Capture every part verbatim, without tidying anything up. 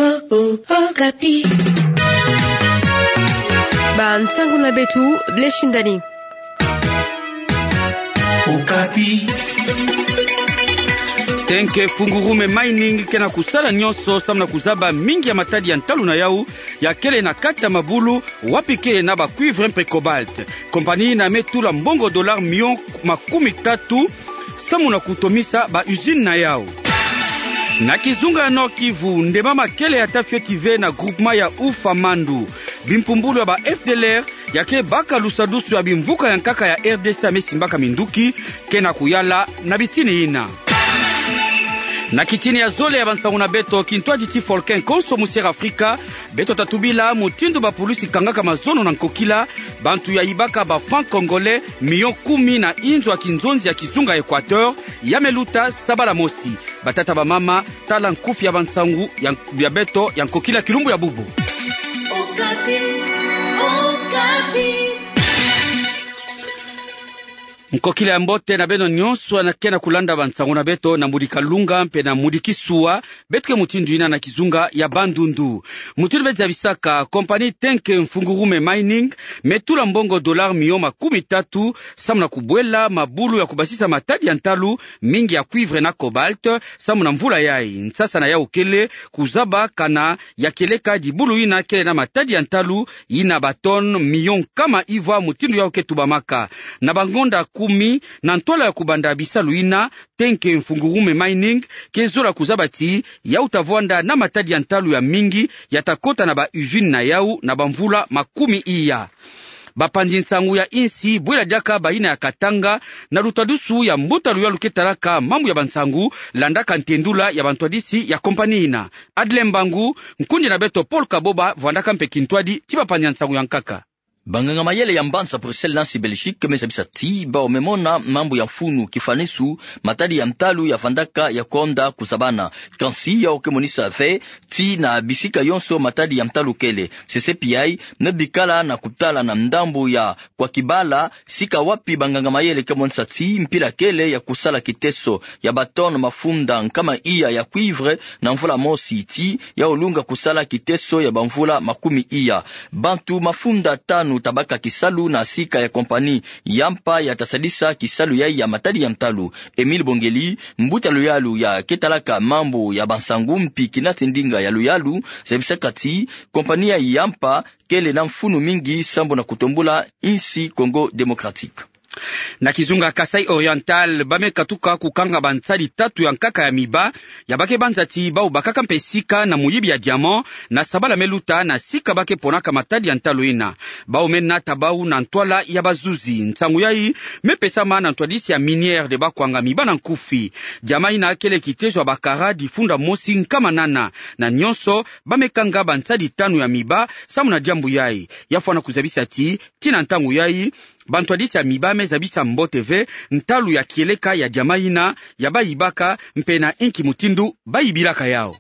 Oh, oh, Okapi. Bansangu na beto, Blaise Shindani. Okapi. Tenke Fungurume Mining ke na kusala nyonso samu na kuzaba mingi ya matadi ya ntalu na yau, ya kele na kati ya mabulu, wapi kele na ba cuivre mpe cobalt. Compagnie yina me tula mbongo dollar million makumi tatu, samu na kutomisa ba usine na yau. Na kizunga ya Nord-Kivu, nde mama kele ya ta fioti ve na groupement ya Ufa Mandu. Bimpumbulu ya ba F D L R, ya ke baka lusadusu ya bimvuka ya nkaka ya R D C ya me simbaka minduki, ke na kuyala na bitini yina. Na kitini ya zole ya bansangu na beto, kintwadi ti Volcan konso mu Sierra Afrika, beto ta tubila mutindu ba pulusi kangaka mazono na nkokila, bantu ya yibaka ba francs congolais million kumi na inzo ya kinzonzi ya kizunga Equateur, ya me luta sabala mosi. Batata, bamama, tala nkufi ya bansangu ya, ya beto ya nkokila kilumbu ya bubu. Okapi, Okapi. Nkokila ya mbote na beno nyonso ana ke na kulanda bansangu na beto na mudika lunga mpe na mudiki sua, beto ke mutindu yina na kizunga ya Bandundu. Mutindu beti zabisaka, compagnie Tenke Mfungurume Mining me tula mbongo dollar million makumi tatu, samu na kubwela mabulu ya kubasisa matadi ya ntalu, mingi ya cuivre na cobalt, samu na mvula yai. Nsasa na yau kele kuzaba kana ya kieleka dibulu yina kele na matadi ya ntalu, yina ba tonnes million nkama ivwa, mutindu yau ke tubamaka. Na bangonda kumi na ntwala ya kubanda bisalu yina, Tenke Mfungurume Mining ke zola kuzaba ti yau ta vwanda na matadi ya ntalu ya mingi ya ta kota na ba usine na yau na bamvula makumi iya. Bapanzi nsangu ya insi, bwela diaka bayina ya Katanga, na lutadusu ya mbuta luyalu ke talaka mambu ya bansangu, landaka ntendula ya bantwadisi ya compagnie yina. Adle Mbangu, nkundi na beto Paul Kaboba, vwandaka mpe kintwadi ti bapanzi nsangu ya nkaka. Banganga mayele ya mbanza Bruxelles, Nancy, Belgique, me zabisa ti bawu me mona mambu ya mfunu kifanisu, matadi ya ntalu ya vandaka ya konda kuzabana. Kansi yau ke monisa ve ti na bisika yonso matadi ya ntalu kele. Sese piai, me bikala na kutala na ndambu ya kwa kibala, sika wapi banganga mayele ke monisa ti mpila kele ya kusala kiteso ya ba tonnes mafunda nkama iya ya cuivre na mvula mosi, ti yau lunga kusala kiteso ya bamvula makumi iya. Bantu mafunda tanu ta baka kisalu na sika ya compagnie Yampa ya ta sadisa kisalu yai ya matadi ya ntalu. Emile Bongeli, mbuta luyalu ya ke talaka mambu ya bansangu mpi kinati ndinga ya luyalu, zabisaka ti compagnie ya Yampa kele na mfunu mingi sambu na kutombula insi Congo Démocratique. Na kizunga Kasaï Oriental, ba me katuka kukanga bansadi tatu ya nkaka ya miba, ya ba ke banza ti bawu bakaka mpe sika na muyibi ya diamant, na sabala me luta na sika ba ke ponaka matadi ya ntalu yina. Bawu me nata bawu na ntwala ya bazuzi. Nsangu yai me pesama na ntwadisi ya Minière de Bakwanga, miba na nkufi. Diamant yina kele kitezo ya bakara difunda mosi nkama nana. Na nyonso, ba me kanga bansadi tanu ya miba samu na diambu yai. Ya fwana kuzabisa ti, ti na ntangu yai, bantwadisi ya miba me zabisa mbote ve ntalu ya kieleka ya diamant yina ya ba yibaka, mpe na inki mutindu ba yibilaka yau.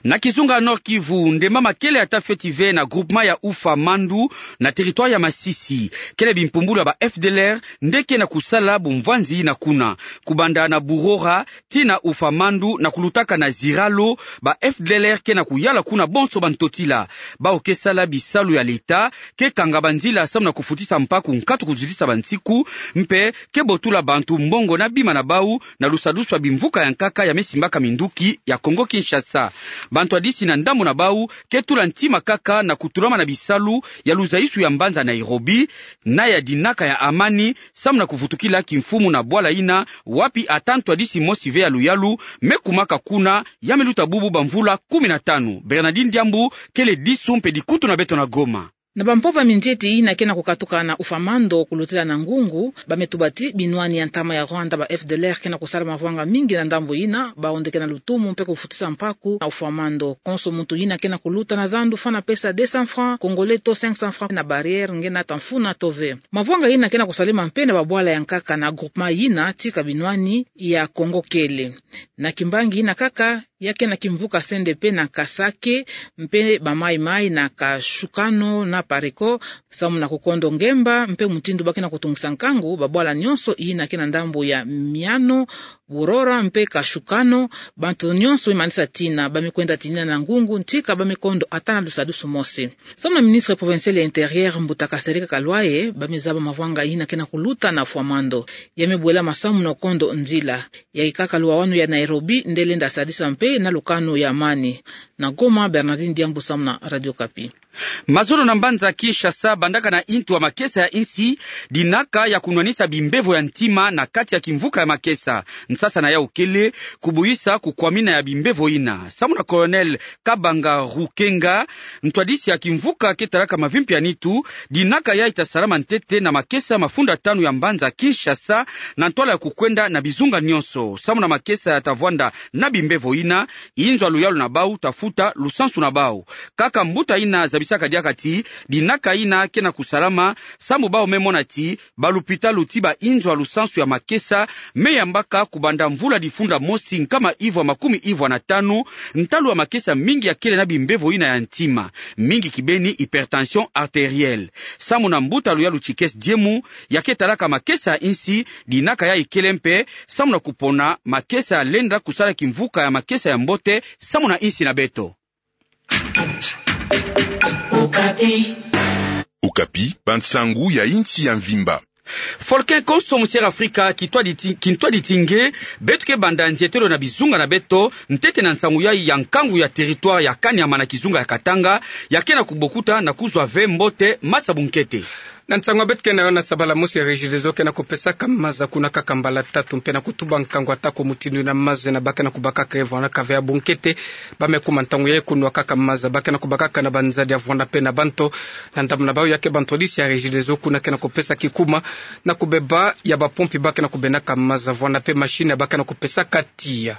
Na kizunga Nord-Kivu, nde mama kele ya ta fioti ve na groupement ya Ufa Mandu, na territoire ya Masisi. Kele bimpumbulu ya ba F D L R nde ke na kusala bumvwanzi na kuna. Kubanda na Burora tii na Ufa Mandu na kulutaka na Ziralo, ba F D L R ke na kuyala kuna bonso bantotila. Bawu ke sala bisalu ya leta, ke kanga banzila samu na kufutisa mpaku nkatu kuzitisa bansiku, mpe ke botula bantu mbongo na bima na bawu na lusadusu ya bimvuka ya nkaka ya me simbaka minduki ya Congo-Kinshasa. Bantwadisi na ndambu na bawu ke tula ntima kaka na kutulama na bisalu ya luzaisu ya mbanza Nairobi, na ya dinaka ya amani, samu na kuvutukila kimfumu na bwala yina, wapi ata ntwadisi mosi ve ya luyalu me kumaka kuna, ya me luta bubu bamvula kumi na tanu. Bernardine Diambu kele disu mpe dikutu na beto na Goma. Na bampova minzieti yina ke na kukatuka na Ufa Mandu kulutila na ngungu, ba me tuba ti binwani ya ntama ya Rwanda, ba F D L R, ke na kusala mavwanga mingi na ndambu yina, bawu nde ke na lutumu mpe kufutisa mpaku na Ufa Mandu. Konso muntu yina ke na kuluta na zandu fwana pesa deux cents francs congolais to cinq cents francs na barrière nge nata mfunu to ve. Mavwanga yina ke na kusalema mpe na babwala ya nkaka na groupement yina tika binwani ya Congo kele. Na kimbangi yina kaka, ya ke na kimvuka C N D P na Kasake, mpe ba Mai Mai na Kashukano na Pareko, Samu na kukondo ngemba mpe mutindu ba ke na kutungisa nkangu, babwala nyonso ina ke na ndambu ya Miano, Burora mpe Kashukano, bantu nyonso imanisa tina ba me kwenda tinina na ngungu, ntika ba me kondo ata na dusadusu mosi. Samu na ministre provincial ya Intérieur, Mbuta Kasereka Kalwaye, ba me zaba mavanga ina ke na kuluta na Fwamando. Ya me bwela masamu na kondo nzila. Ya ikaka luwawanu ya Nairobi nde lenda sadisa mpe na lukanu ya amani. Na Goma, Bernardine Diambu samu na Radio Okapi. Mazono na mbanza Kinshasa bandaka na intu wa makesa ya insi, dinaka ya kunwanisa bimbevo ya ntima na kati ya kimvuka ya makesa. Nsasa na yau kele kubuyisa kukwamina ya bimbevo ina. Samu na Colonel Kabanga Rukenga, ntwadisi ya kimvuka ke talaka mavimpi ya nitu, dinaka yayi ta salama ntete na makesa mafunda tanu ya mbanza Kinshasa, na ntwala ya kukwenda na bizunga nyonso. Samu na makesa ya ta vwanda na bimbevo ina, inzo ya luyalu na bau ta futa lusansu na bau. Kaka mbuta ina zabisaka diaka ti, dinaka ina ke na kusalama, samu bau me mona ti, balupitalu ti bainzo ya lusansu ya makesa me yambaka kubanda mvula difunda mosi nkama ivwa makumi ivwa na tanu, ntalu ya makesa mingi ya kele na bimbevo ina ya ntima, mingi kibeni hypertension artérielle. Samu na mbuta luyalu Tshikes Diemu, ya ke talaka makesa ya insi, dinaka yayi kele mpe samu na kupona makesa ya lenda kusala kimvuka ya makesa ya mbote samu na insi na beto. Okapi. Okapi, bansangu ya insi ya mvimba. Volcan konso musiere Afrika kintwadi ti-, kintwadi ti nge, beto ke banda nzietelo na bizunga na beto, ntete na nsangu yayi ya nkangu ya territoire ya Kanyama na kizunga ya Katanga, ya ke na kubokuta na kuzwa ve mbote masa bunkete. Na nsangu ya beto ke na yo, na sabala mosi ya Regideso ke na kupesaka maza kuna kaka mbala tatu mpe na kutuba nkangu atako mutindu ina maza ina ba ke na kubakaka ye vwanda kaka ve ya bunkete. Ba me kuma ntangu yayi kunwa kaka maza, ba ke na kubakaka na banzadi ya vwanda mpe na banto. Na ndambu na bau ya ke bantwadisi ya Regideso kuna ke na kupesa kikuma na kubeba ya bapompi ba ke na kubendaka maza vwanda mpe machine ya ba ke na kupesaka tiya.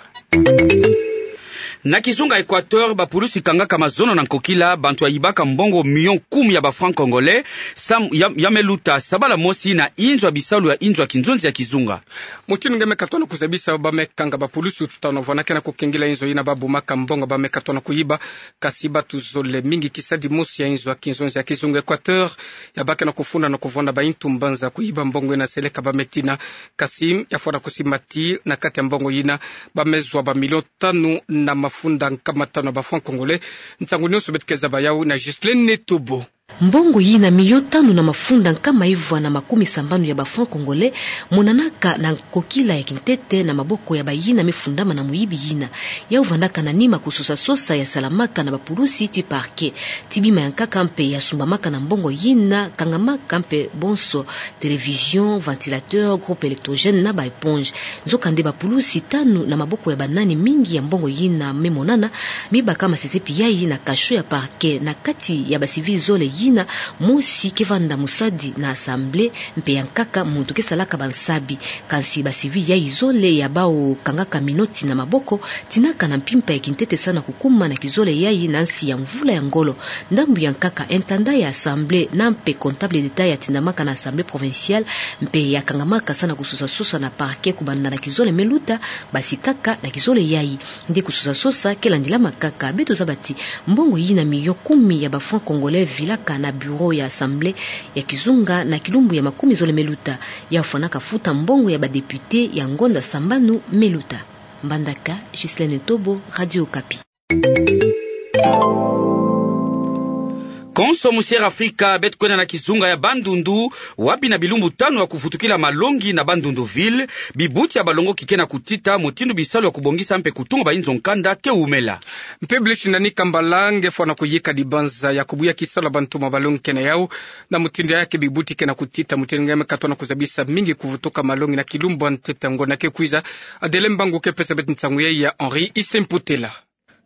Na kizunga Equateur, bapulusi kangaka mazono na nkokila bantu ya yibaka mbongo million kumi ya ba francs congolais, sam-, ya, ya me luta, sabala mosi na inzo ya bisalu ya inzo ya kinzonzi ya kizunga. Mutindu nge me katuana kuzabisa, ba me kanga bapulusi tanu vwanda ke na kukengila inzo ina ba bumaka mbongo ba me katuana kuyiba, kasi batu zole mingi kisadi mosi ya inzo ya kinzonzi ya kizunga Equateur, ya ba ke na kufunda na kuvwanda ba intu mbanza kuyiba mbongo ina seleka ba me tina, kasi ya fwana kusimba ti na kati ya mbongo ina, ba me zwa ba million tanu na mafunda nkama tanu ya ba francs congolais. Nsangu nyonso beto ke zaba yau na Ghislaine Netobo. Mbongo yina million tanu na mafunda nkama ivwa na makumi sambanu ya ba francs congolais monanaka na nkokila ya kintete na maboko ya bayina me fundama na muyibi yina. Yau vandaka na nima kusosa-sosa ya salamaka na bapulusi ti parquet. Ti bima ya nkaka mpe ya sumbamaka na mbongo yina, kangamaka mpe bonso télévision, ventilateur, groupe électrogène na ba éponge. Nzokande bapulusi tanu na maboko ya banani mingi ya mbongo yina me monana, me baka masese pi yayi na cachot ya parquet. Na kati ya ba civil zole yina, mosi ke vanda musadi na assemblée, mpe ya nkaka muntu ke salaka bansabi. Kansi ba civil yayi zole ya bau kangaka minoti na maboko, tinaka na mpimpa ya kintete sana kukuma na kizole yayi na nsi ya mvula ya ngolo. Ndambu ya nkaka, intendant ya assemblée na mpe comptable d'État ya tindamaka na assemblée provinciale, mpe ya kangamaka sana kusosa-sosa na parquet kubanda na kizole me luta, basikaka na kizole yayi. Nde kusosa-sosa ke landilamaka kaka. Beto zaba ti mbongo yina million kumi ya ba francs congolais vilaka na bureau ya assemblée ya kizunga na kilumbu ya makumi zole me luta. Ya fwanaka futa mbongo ya ba députés ya ngonda sambanu me luta. Mbandaka, Ghislaine Tobo, Radio Okapi. Konso musiere Afrika, beto kwenda na kizunga ya Bandundu, wapi na bilumbu tanu ya kuvutukila malongi na Bandundu ville, bibuti ya balongoki ke na kutita mutindu bisalu ya kubongisa mpe kutunga ba inzo nkanda ke wumela. Mpe Blush Nani Kambala nge fwana kuyika dibanza ya kubuya kisalu ya bantoma balongi ke na yau, na mutindu yaya ke bibuti ke na kutita, mutindu nge me katuana kuzabisa mingi kuvutuka malongi na kilumbu ya ntete ya ngonda ke kwiza. Adele Mbangu ke pesa beto nsangu yayi ya Henri Isemputela.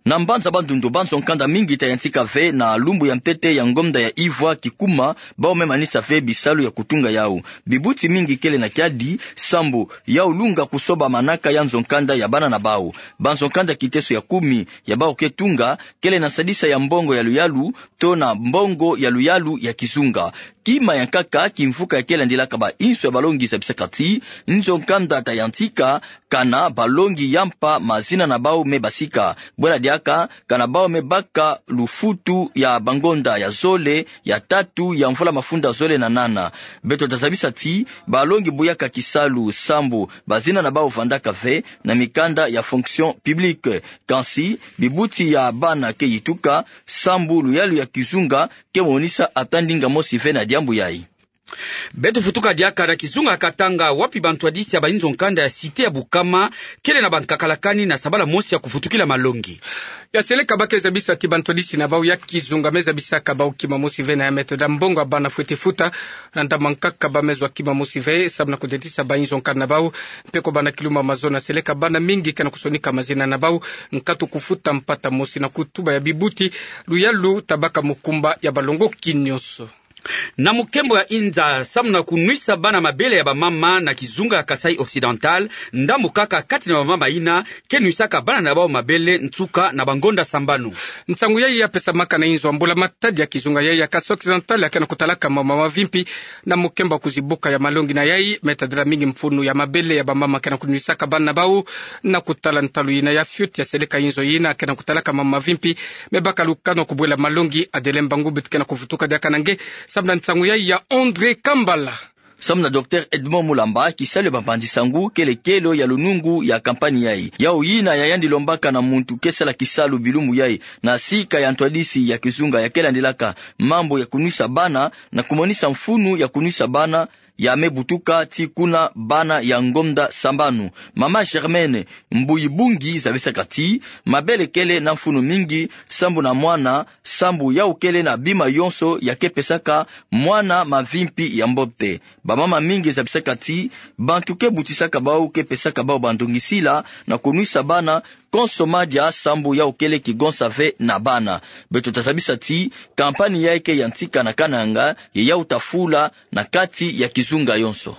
Na mbanza Bandundu, banzo nkanda mingi ta yantika ve na lumbu ya ntete ya ngonda ya ivwa kikuma, bau me manisa ve bisalu ya kutunga yau. Bibuti mingi kele na kiadi, sambu yau lunga kusoba manaka ya nzo nkanda ya bana na bau. Banzo nkanda kiteso ya kumi ya bau ke tunga, kele na sadisa ya mbongo ya luyalu, to na mbongo ya luyalu ya kizunga. Ima ya nkaka kimvuka ya kele landilaka bainso ya balongi zabisaka ti nzo nkanda ta yantika, kana balongi ya mpa mazina na bau me basika. Bwela diaka, kana bau me baka lufutu ya bangonda ya zole, ya tatu ya mvula mafunda zole na nana. Beto ta zabisa ti balongi buyaka kisalu sambu bazina na bau vandaka ve na mikanda ya fonction publique. Kansi bibuti ya bana ke yituka sambu luyalu ya kizunga ke monisa ata ndinga mosi ve na diambu yayi. Beto vutuka diaka na kizunga ya Katanga, wapi bantwadisi ya bainzo nkanda ya cité ya Bukama kele na bankakalakani na sabala mosi ya kuvutukila malongi. Ya seleka ba ke zabisa ti bantwadisi na bau ya kizunga me zabisaka bau kima mosi ve na ya metoda mbongo ya bana fwete futa, na ntama nkaka ba me zwa kima mosi ve samu na kudiatisa bainzo nkanda na bau, mpe ko bana kiluma mazono ya seleka bana mingi ke na kusonika mazina na bau, nkatu kufuta mpata mosi na kutuba ya bibuti, luyalu ta baka mukumba ya balongoki nionso. Na mukembo ya inza, samu na kunwisa bana mabele ya bamama na kizunga ya Kasaï Occidental, ndambu kaka kati na bamama yina ke nwisaka bana na bau mabele nsuka na bangonda sambanu. Nsangu yayi ya pesamaka na inzo ya mbula-matadi ya kizunga yayi ya Kasaï Occidental ya ke na kutalaka mama mavimpi na mukembo ya kuzibuka ya malongi na yayi, me tadila mingi mfunu ya mabele ya bamama ke na kunwisaka bana na bau. Na kutala ntalu yina ya fioti ya seleka inzo yina ke na kutalaka mama mavimpi, me baka lukano kubwela malongi. Adelin Bangu beto ke na kuvutuka diaka na nge samu na nsangu yayi ya André Kambala. Samu na Docteur Edmond Mulamba, kisalu ya bampanzi-nsangu kele kelo ya lunungu ya kampani yayi. Yau yina ya yandi lombaka na muntu ke sala kisalu bilumbu yayi na sika ya ntwadisi ya kizunga ya ke landilaka mambu ya kunwisa bana, na kumonisa mfunu ya kunwisa bana ya me butuka ti kuna bana ya ngonda sambanu. Mama Germaine Mbuyibungi zabisaka ti mabele kele na mfunu mingi sambu na mwana, sambu yau kele na bima yonso ya ke pesaka mwana mavimpi ya mbote. Bamama mingi zabisaka ti bantu ke butisaka bau ke pesaka bau bandongisila na kunwisa bana konso madia sambu yau kele kigonsa ve na bana. Beto ta zabisa ti kampani yayi ke yantika na Kananga, ye yau ta fula na kati ya kizunga yonso.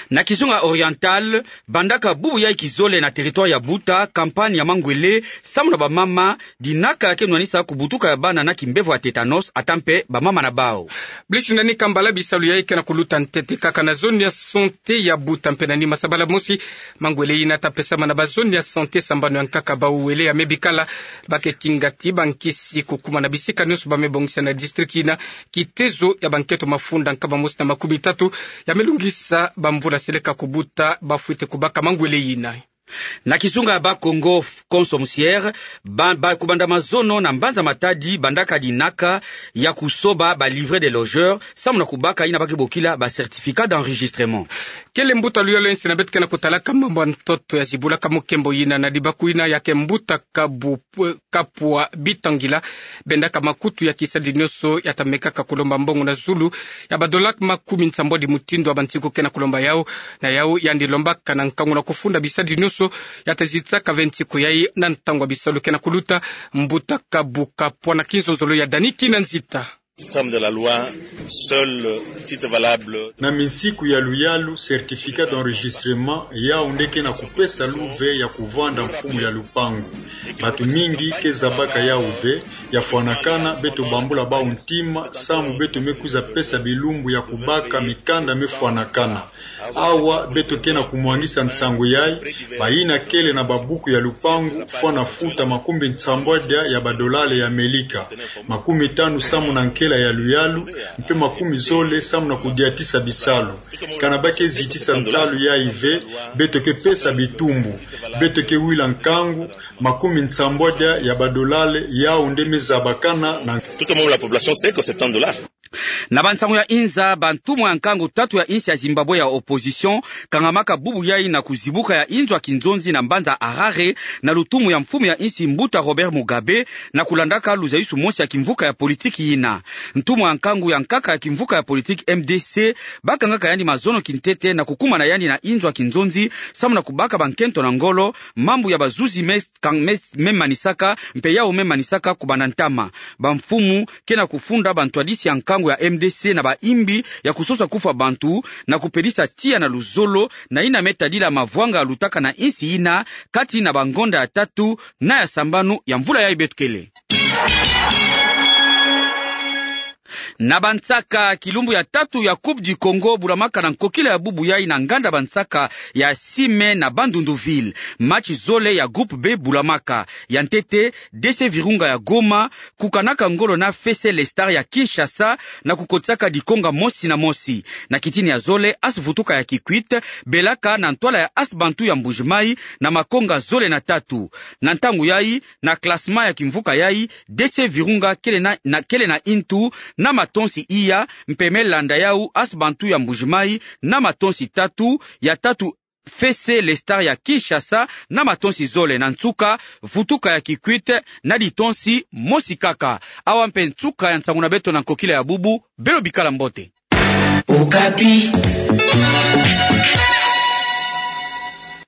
Na kizunga Oriental, bandaka bubu yayi kizole na territoire ya Buta kampani ya mangwele samu na bamama, dinaka ke nwanisa kubutuka ya bana na kimbevo ya tétanos, ata mpe bamama na bau. Bliss Nani Kambala, bisalu yayi ke na kuluta ntete kaka na zone ya santé ya Buta mpe na nima sabala mosi. Mangwele yina ta pesama na ba zone ya santé sambanu ya nkaka bau wele ya me bikala. Ba ke kinga ti bankisi kukuma na bisika nionso ba me bongisa na district yina, kitezo ya banketo mafunda nkama mosi na makumi tatu ya me lungisa bamvula seleka kubuta ba fwete kubaka mangwele yina. Na kizunga ya Bas-Congo, Konso Musiere, ba, ba, kubanda mazono na mbanza Matadi, bandaka dinaka ya kusoba ba livret de logeur samu na kubaka yina ba ke bokila ba certificat d'enregistrement. Kele mbuta luyalu ya nsi na beto ke na kutalaka mambu ya ntoto ya zibulaka mukembo yina na dibaku yina ya ke mbuta Kabu Kapwa Bitangila. Bendaka makutu ya kisalidi nionso ya ta mekaka kulomba mbongo na zulu ya ba dola makumi nsambwadi mutindu wa bansiku ke na kulomba yau. Na yau yandi lombaka na nkangu na kufunda bisalidi nionso ya ta zitisaka ve nsiku yayi na ntangu ya bisalu ke na kuluta. Mbuta Kabu Kapwa na kinzonzolo ya Dani Kinanzita. Terme de la loi, seul titre valable. Na minsiku ya luyalu, certificat d'enregistrement, yau nde ke na kupesa luve ya kuvanda mfumu ya lupangu. Batu mingi ke zabaka yau ve, ya fwanakana, beto bambula bau ntima, samu beto me kwiza pesa bilumbu ya kubaka mikanda me fwanakana. Awa beto ke na kumwangisa nsangu yayi, bayina kele na babuku ya lupangu fwana futa makumi nsambwadia ya badolale ya Amelika, makumi tanu samu na nkela ya luyalu, mpe makumi zole samu na kudiatisa bisalu. Kana ba ke zitisa ntalu yayi ve, beto ke pesa bitumbu, beto ke wila nkangu, makumi nsambwadia ya badolale yau nde me zabakana na. Tout comme la population sait que c'est un dollar. Na bansangu ya inza, bantumwa ya nkangu tatu ya insi ya Zimbabwe ya opposition kangamaka bubu yayi na kuzibuka ya inzo ya kinzonzi na mbanza Harare, na lutumu ya mfumu ya insi mbuta Robert Mugabe, na kulandaka luzayusu mosi ya kimvuka ya politiki yina. Ntumwa ya nkangu ya nkaka ya kimvuka ya politiki M D C, bakangaka yandi mazono kintete na kukuma na yandi na inzo ya kinzonzi, samu na kubaka bankento na ngolo, mambu ya bazuzi me kan-, me, me manisaka, mpe yau me manisaka kubanda ntama. Bamfumu ke na kufunda bantwadisi ya nkangu ya M D C na bayimbi ya kusosa kufwa bantu, na kupelisa tiya na luzolo, na yina me tadila mavwanga lutaka na insi yina, kati na bangonda ya tatu na ya sambanu ya mvula yayi beto kele. Na bansaka, kilumbu ya tatu ya Coupe du Congo bulamaka na nkokila ya bubu yai na nganda bansaka ya Sime na Bandundu-Ville. Match zole ya groupe B bulamaka. Ya ntete, D C Virunga ya Goma kukanaka ngolo na F C Les Stars ya Kinshasa, na kukotisaka dikonga mosi na mosi. Na kitin ya zole, A S Vutuka ya Kikwit belaka na ntwala ya A S Bantu ya Mbuji-Mayi na makonga zole na tatu. Na ntangu yai, na classement ya kimvuka yai, D C Virunga kele na, na, kele na intu na matonsi iya, mpe me landa yau A S Bantu ya Mbuji-Mayi na matonsi tatu, ya tatu F C Les Stars ya Kinshasa na matonsi zole, na nsuka Vutuka ya Kikwit na ditonsi mosi kaka. Awa mpe nsuka ya nsangu na beto na nkokila ya bubu, beno bikala mbote. Okapi.